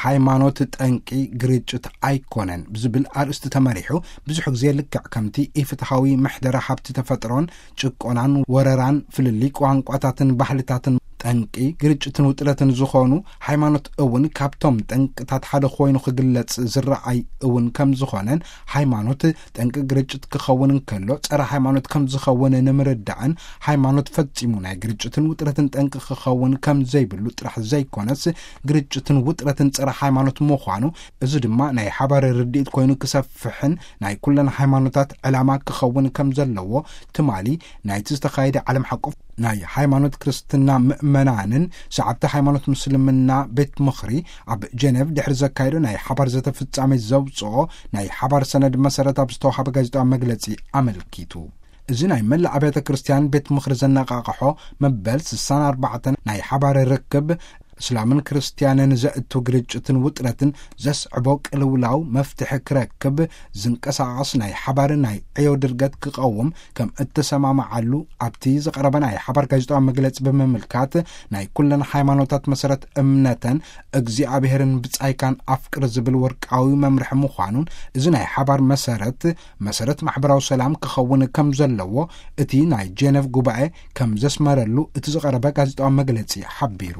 ሃይማኖት ጠንቂ ግርጭት ኣይኮነን ብዝብል ኣርእስቲ ተመሪሑ፣ ብዙሕ ግዜ ልክዕ ከምቲ ኢፍትሐዊ ምሕደራ ሃብቲ ተፈጥሮን ጭቆናን ወረራን፣ ፍልልይ ቋንቋታትን ባህልታትን ጠንቂ ግርጭትን ውጥረትን ዝኾኑ፣ ሃይማኖት እውን ካብቶም ጠንቅታት ሓደ ኮይኑ ክግለጽ ዝረኣይ እውን ከም ዝኾነን፣ ሃይማኖት ጠንቂ ግርጭት ክኸውን እንከሎ፣ ጸረ ሃይማኖት ከም ዝኸውን ንምርዳእን፣ ሃይማኖት ፈጺሙ ናይ ግርጭትን ውጥረትን ጠንቂ ክኸውን ከም ዘይብሉ ጥራሕ ዘይኮነስ፣ ግርጭትን ውጥረትን ጸረ ሃይማኖት ምዃኑ፣ እዚ ድማ ናይ ሓባር ርድኢት ኮይኑ ክሰፍሕን ናይ ኩለን ሃይማኖታት ዕላማ ክኸውን ከም ዘለዎ፣ ትማሊ ናይቲ ዝተኻየደ ዓለም ሓቆፍ ናይ ሃይማኖት ክርስትና ምእመናንን ሰዓብቲ ሃይማኖት ምስልምና ቤት ምኽሪ ኣብ ጀኔቭ ድሕሪ ዘካየዶ ናይ ሓባር ዘተ ፍጻሜ ዘውጽኦ ናይ ሓባር ሰነድ መሰረት ኣብ ዝተዋሃበ ጋዜጣዊ መግለጺ ኣመልኪቱ። እዚ ናይ መላእ ኣብያተ ክርስቲያን ቤት ምኽሪ ዘነቓቕሖ መበል ስሳን ኣርባዕተን ናይ ሓባር ርክብ፣ እስላምን ክርስቲያንን ዘእቱ ግርጭትን ውጥረትን ዘስዕቦ ቅልውላው መፍትሒ ክረክብ ዝንቀሳቐስ ናይ ሓባር ናይ ዕዮ ድርገት ክቐውም ከም እተሰማማዓሉ ኣብቲ ዝቐረበ ናይ ሓባር ጋዜጣዊ መግለጺ ብምምልካት፣ ናይ ኩለን ሃይማኖታት መሰረት እምነተን እግዚኣብሔርን ብጻይካን ኣፍቅር ዝብል ወርቃዊ መምርሒ ምዃኑን፣ እዚ ናይ ሓባር መሰረት፣ መሰረት ማሕበራዊ ሰላም ክኸውን ከም ዘለዎ እቲ ናይ ጀነቭ ጉባኤ ከም ዘስመረሉ እቲ ዝቐረበ ጋዜጣዊ መግለጺ ሓቢሩ።